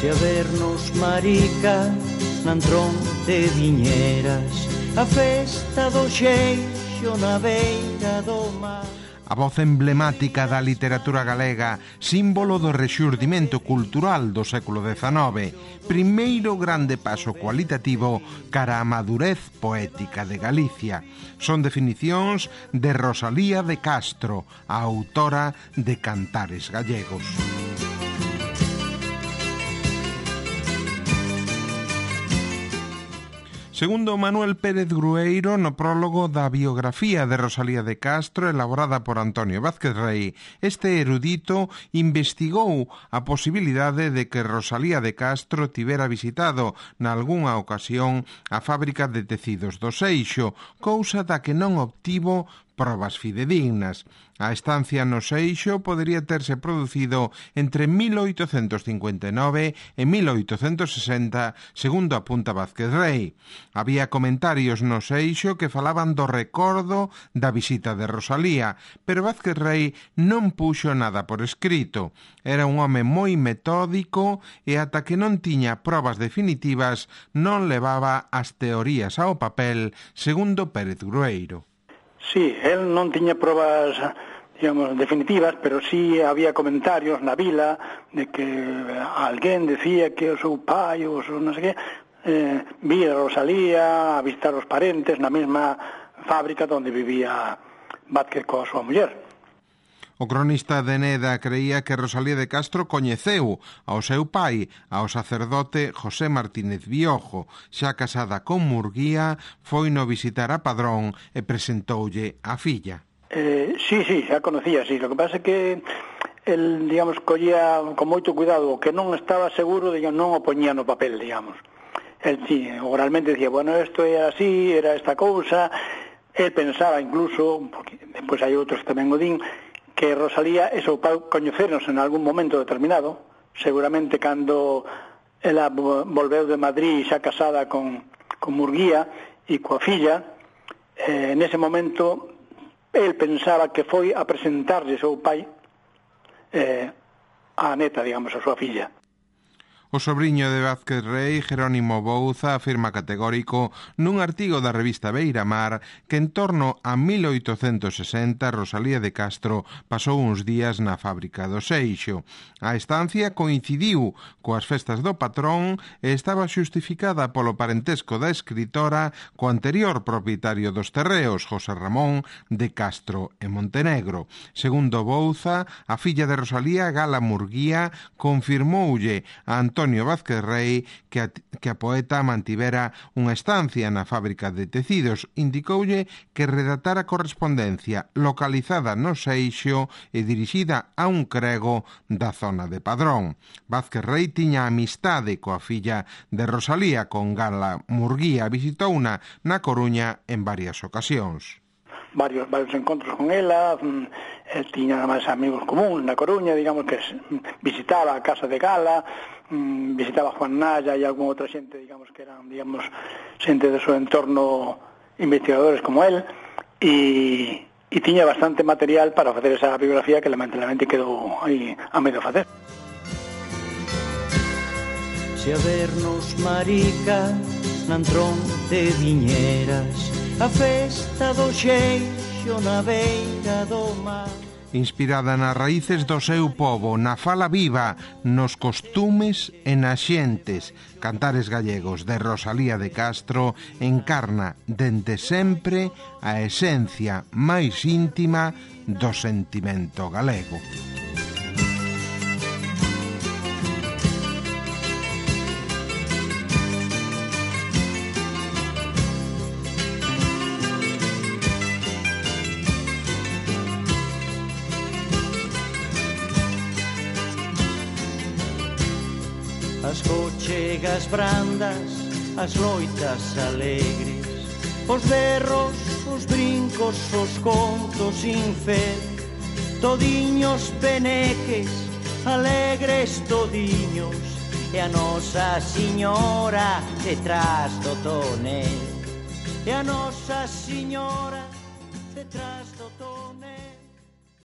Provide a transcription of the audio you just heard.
Se a vernos marica n'antrón de Viñeras, a festa do Xeixo na beira do mar. A voz emblemática da literatura galega, símbolo do rexurdimento cultural do século XIX, primeiro grande paso cualitativo cara a madurez poética de Galicia. Son definicións de Rosalía de Castro, a autora de Cantares Gallegos. Segundo Manuel Pérez Grueiro, no prólogo da biografía de Rosalía de Castro elaborada por Antonio Vázquez Rei, este erudito investigou a posibilidade de que Rosalía de Castro tivera visitado nalgunha ocasión a fábrica de tecidos do Seixo, cousa da que non obtivo probas fidedignas. A estancia no Seixo podería terse producido entre 1859 e 1860, segundo apunta Vázquez Rei. Había comentarios no Seixo que falaban do recordo da visita de Rosalía, pero Vázquez Rei non puxo nada por escrito. Era un home moi metódico e ata que non tiña probas definitivas non levaba as teorías ao papel, segundo Pérez Grueiro. Sí, él non tiña probas, digamos, definitivas, pero sí había comentarios na vila de que alguén decía que o seu pai ou o seu non sei que vía Rosalía a visitar os parentes na mesma fábrica onde vivía Vázquez coa súa muller. O cronista de Neda creía que Rosalía de Castro coñeceu ao seu pai, ao sacerdote José Martínez Biojo. Xa casada con Murguía, foi no visitar a Padrón e presentoulle a filla. Sí, xa conocía, sí. Lo que pasa é que el, digamos, collía con moito cuidado o que non estaba seguro, digamos, non o poñía no papel, digamos. El, sí, oralmente decía, bueno, isto era así, era esta cousa. El pensaba incluso, porque depois hai outros que tamén o din, que Rosalía e seu pai coñeceronse en algún momento determinado, seguramente cando ela volveu de Madrid xa casada con Murguía e coa filla, nese momento el pensaba que foi a presentarlle seu pai a neta, digamos, a súa filla. O sobriño de Vázquez Rei, Jerónimo Bouza, afirma categórico nun artigo da revista Beiramar que en torno a 1860 Rosalía de Castro pasou uns días na fábrica do Seixo. A estancia coincidiu coas festas do patrón e estaba xustificada polo parentesco da escritora co anterior propietario dos terreos, José Ramón de Castro e Montenegro. Segundo Bouza, a filla de Rosalía, Gala Murguía, confirmoulle a Antonio Vázquez Rei que a poeta mantivera unha estancia na fábrica de tecidos. Indicoulle que redactara correspondencia localizada no Seixo e dirixida a un crego da zona de Padrón. Vázquez Rei tiña amistade coa filla de Rosalía, con Gala Murguía. Visitouna na Coruña en varias ocasións. Varios encontros con ela, tiña máis amigos comuns na Coruña, digamos que visitaba a casa de Gala, visitaba a Juan Naya e algunha outra xente, digamos que eran, digamos, xente do seu entorno, investigadores como él, e tiña bastante material para facer esa biografía que lamentablemente quedou aí a medio facer. Se a vernos marica n'antrón de Viñeras, a festa do Xeixo na beira do mar. Inspirada nas raíces do seu pobo, na fala viva, nos costumes e nas xentes, Cantares Gallegos de Rosalía de Castro encarna dende sempre a esencia máis íntima do sentimento galego. As cochegas brandas, as loitas alegres, os berros, os brincos, os contos sin fe, todiños peneques, alegres todiños, e a Nosa Señora detrás do tonel, e a Nosa Señora detrás do tonel.